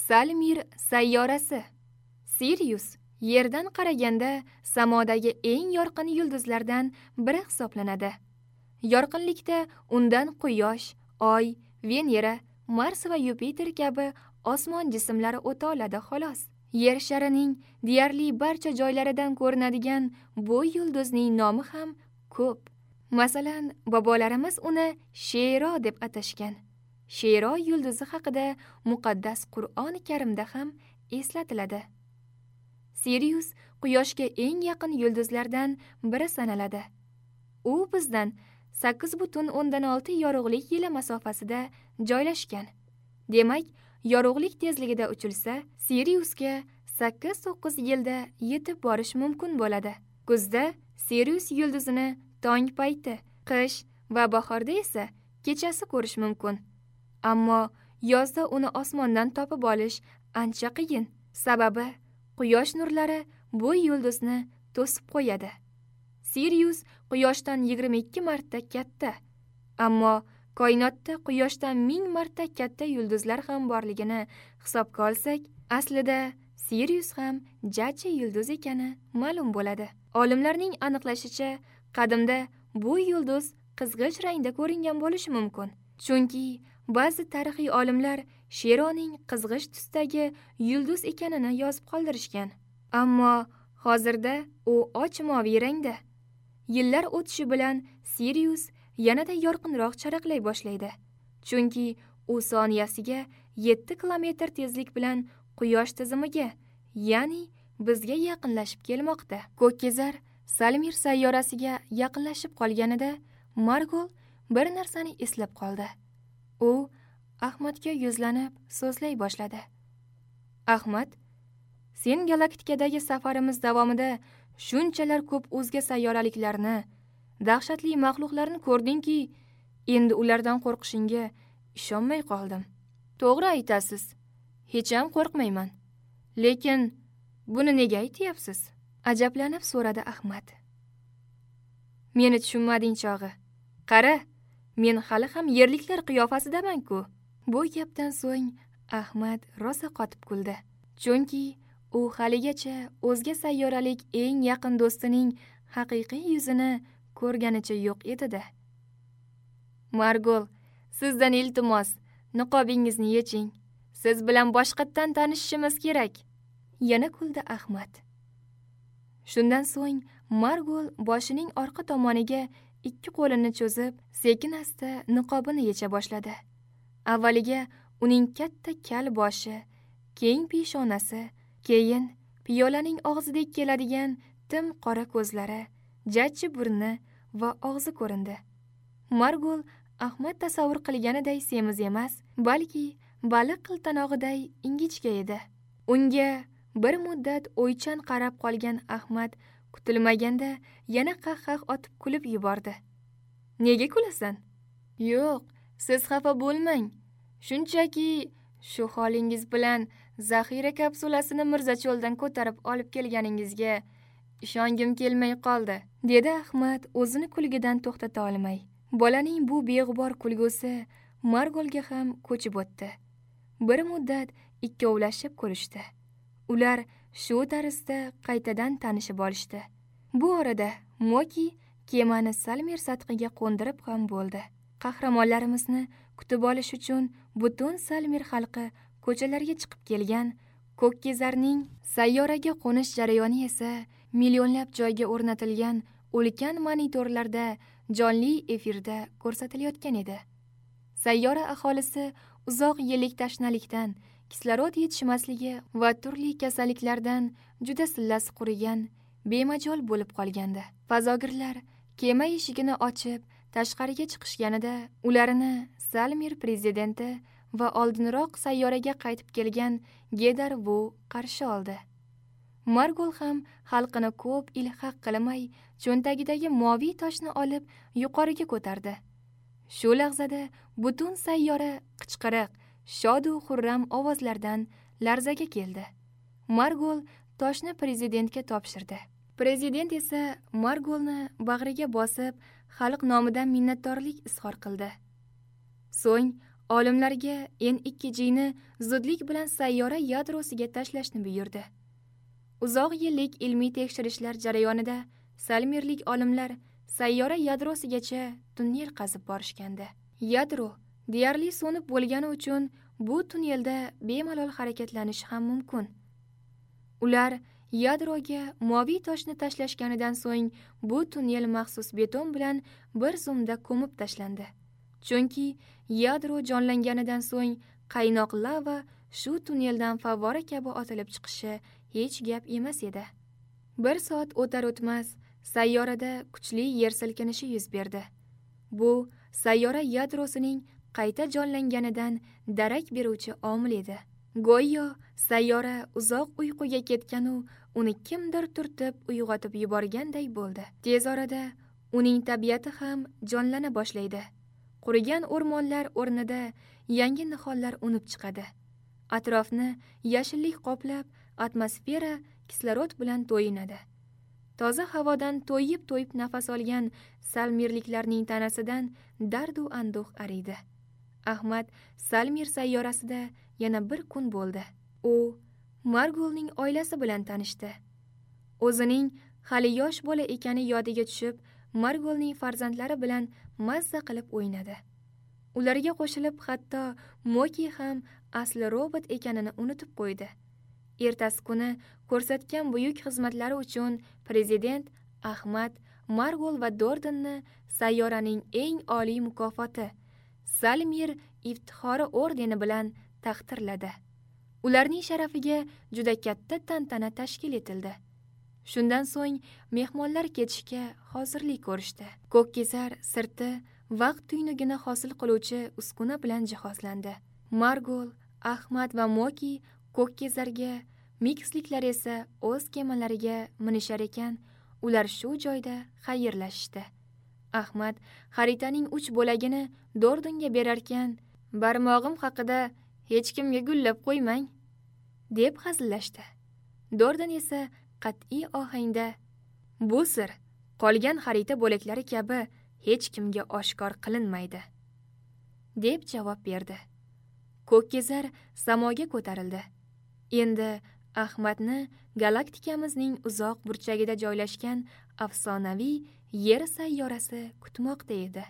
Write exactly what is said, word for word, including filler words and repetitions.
Salmir sayyorasi. Sirius Yerdan qaraganda samodagi eng yorqin yulduzlardan biri hisoblanadi. Yorqinlikda undan Quyosh, Oy, Venera, Mars va Yupiter kabi osmon jismlari o'ta oladi xolos. Yer sharining deyarli barcha joylaridan ko'rinadigan bu yulduzning nomi ham ko'p. Masalan, bobolarimiz uni Shero deb atashgan. Shero yulduzi haqida muqaddas Qur'oni Karimda ham eslatiladi. Sirius Quyoshga eng yaqin yulduzlardan biri sanaladi. U bizdan sakkiz butun o'ndan olti yorug'lik yili masofasida joylashgan. Demak, yorug'lik tezligida uchilsa, Siriusga sakkiz to'qqiz yilda yetib borish mumkin bo'ladi. Kuzda Sirius yulduzini tong payti, qish va bahorda esa kechasi ko'rish mumkin. Ammo yozda uni osmondan topib olish ancha qiyin. Sababi Quyosh nurlari bu yulduzni to'sib qo'yadi. Sirius Quyoshdan yigirma ikki marta katta. Ammo koinotda Quyoshdan ming marta katta yulduzlar ham borligini hisobga olsak, aslida Sirius ham jajji yulduz ekani ma'lum bo'ladi. Olimlarning aniqlashicha, qadimda bu yulduz qizg'ish rangda ko'ringan bo'lishi mumkin. Chunki ba'zi tarixiy olimlar Sheroning qizg'ish tusdagi yulduz ekanini yozib qoldirishgan. Ammo hozirda u och moviy rangda. Yillar o'tishi bilan Sirius yanada yorqinroq charaqlay boshlaydi. Chunki u soniyasiga yetti kilometr tezlik bilan Quyosh tizimiga, ya'ni bizga yaqinlashib kelmoqda. Ko'kkezar Salmir sayyorasiga yaqinlashib qolganida Margol bir narsani eslab qoldi. U Ahmadga yuzlanib so'zlay boshladi. Ahmad, sen galaktikadagi safarimiz davomida shunchalar ko'p o'zga sayyoraliklarni, dahshatli maxluqlarni ko'rdingki, endi ulardan qo'rqishingga ishonmay qoldim. To'g'ri aytasiz. Hech ham qo'rqmayman. Lekin buni nega aytyapsiz? Ajablanib so'radi Ahmad. Meni tushunmading chog'i. Qara, men hali ham yerliklar qiyofasidaman-ku. Bu gapdan so'ng Ahmad rosa qotib kuldi. Chunki u haligacha o'zga sayyoralik eng yaqin do'stining haqiqiy yuzini ko'rganicha yo'q edi-da. Margol, sizdan iltimos, niqobingizni yeching. Siz bilan boshqatdan tanishishimiz kerak. Yana kuldi Ahmad. Shundan so'ng Margol boshining orqa tomoniga ikki qo'lini cho'zib, sekin asta niqobini yecha boshladi. Avvaliga uning katta kal boshi, keng peshonasi, keyin piyolaning og'zidek keladigan tim qora ko'zlari, jajji burni va og'zi ko'rindi. Margol Ahmad tasavvur qilganiday semiz emas, balki baliq qiltanog'iday ingichka edi. Unga bir muddat o'ychan qarab qolgan Ahmad kutilmaganda yana qah-qah otib kulib yubordi. Nega kulasan? Yo'q, siz xafa bo'lmang. Shunchaki shu holingiz bilan zaxira kapsulasini Mirzacholdan ko'tarib olib kelganingizga ishongim kelmay qoldi, dedi Ahmad o'zini kulgidan to'xtata olmay. Bolaning bu beg'ubor kulgusi Margolga ham ko'chib o'tdi. Bir muddat ikkovlashib ko'rishdi. Ular shu tarzda qaytadan tanishib olishdi. Bu orada Moki kemani Salmir sathiga qo'ndirib ham bo'ldi. Qahramonlarimizni kutib olish uchun butun Salmir xalqi ko'chalarga chiqib kelgan. Ko'kkezarning sayyoraga qo'nish jarayoni esa millionlab joyga o'rnatilgan ulkan monitorlarda jonli efirda ko'rsatilayotgan edi. Sayyora aholisi uzoq yillik tashnalikdan, kislorod yetishmasligi va turli kasalliklardan juda sillasi qurigan, bemajol bo'lib qolgandi. Fazogirlar kema eshigini ochib tashqariga chiqishganida ularni Salmir prezidenti va oldinroq sayyoraga qaytib kelgan Gedar Vu qarshi oldi. Margol ham xalqini ko'p ilhaq qilmay, cho'ntagidagi moviy toshni olib yuqoriga ko'tardi. Shu lahzada butun sayyora qichqiriq, shod u xurram ovozlardan larzaga keldi. Margol toshni prezidentga topshirdi. Prezident esa Margolni bag'riga bosib, xalq nomidan minnatdorlik izhor qildi. So'ng Olimlarga N ikki G ni zudlik bilan sayyora yadrosiga tashlashni buyurdi. Uzoq yillik ilmiy tekshirishlar jarayonida salmirlik olimlar sayyora yadrosigacha tunnel qazib borishgandi. Yadro deyarli so'nib bo'lgani uchun bu tunnelda bemalol harakatlanish ham mumkin. Ular yadroga moviy toshni tashlashganidan so'ng bu tunnel maxsus beton bilan bir zumda ko'mib tashlandi. Chunki yadro jonlanganidan so'ng qaynoq lava shu tunneldan favvora kabi otilib chiqishi hech gap emas edi. Bir soat o'tar o'tmas sayyorada kuchli yer silkinishi yuz berdi. Bu sayyora yadrosining qayta jonlanganidan darak beruvchi omil edi. Go'yo sayyora uzoq uyquga ketgan-u uni kimdir turtib uyg'otib yuborganday bo'ldi. Tez orada uning tabiati ham jonlana boshlaydi. Qurigan o'rmonlar o'rnida yangi nihollar unib chiqadi. Atrofni yashillik qoplab, atmosfera kislorod bilan to'yinadi. Toza havodan to'yib-to'yib nafas olgan salmirliklarning tanasidan dardu anduh ariydi. Ahmad Salmir sayyorasida yana bir kun bo'ldi. U Margulning oilasi bilan tanishdi. O'zining hali yosh bola ekani yodiga tushib, Margulning farzandlari bilan mazza qilib o'ynadi. Ularga qo'shilib hatto Moki ham asli robot ekanini unutib qo'ydi. Ertasi kuni ko'rsatgan buyuk xizmatlari uchun prezident Ahmad, Margul va Dordonni sayyoraning eng oliy mukofoti Salmir iftixori ordeni bilan taqdirladi. Ularning sharafiga juda katta tantana tashkil etildi. Shundan so'ng mehmonlar ketishga hozirlik ko'rishdi. Ko'kkezar sirti vaqt tuynugini hosil qiluvchi uskuna bilan jihozlandi. Margul, Ahmad va Moki Ko'kkezarga, Miksliklar esa o'z kemalariga minishar ekan, ular shu joyda xayrlashishdi. Ahmad xaritaning uch bo'lagini Dordonga berarkan, "Barmog'im haqida hech kimga gullab qo'ymang", deb hazillashdi. Dordon esa qat'iy ohangda, "Bu sir qolgan xarita bo'laklari kabi hech kimga oshkor qilinmaydi", deb javob berdi. Ko'kkezar samoga ko'tarildi. Endi Ahmadni galaktikamizning uzoq burchagida joylashgan afsonaviy Yer sayyorasi kutmoqda edi.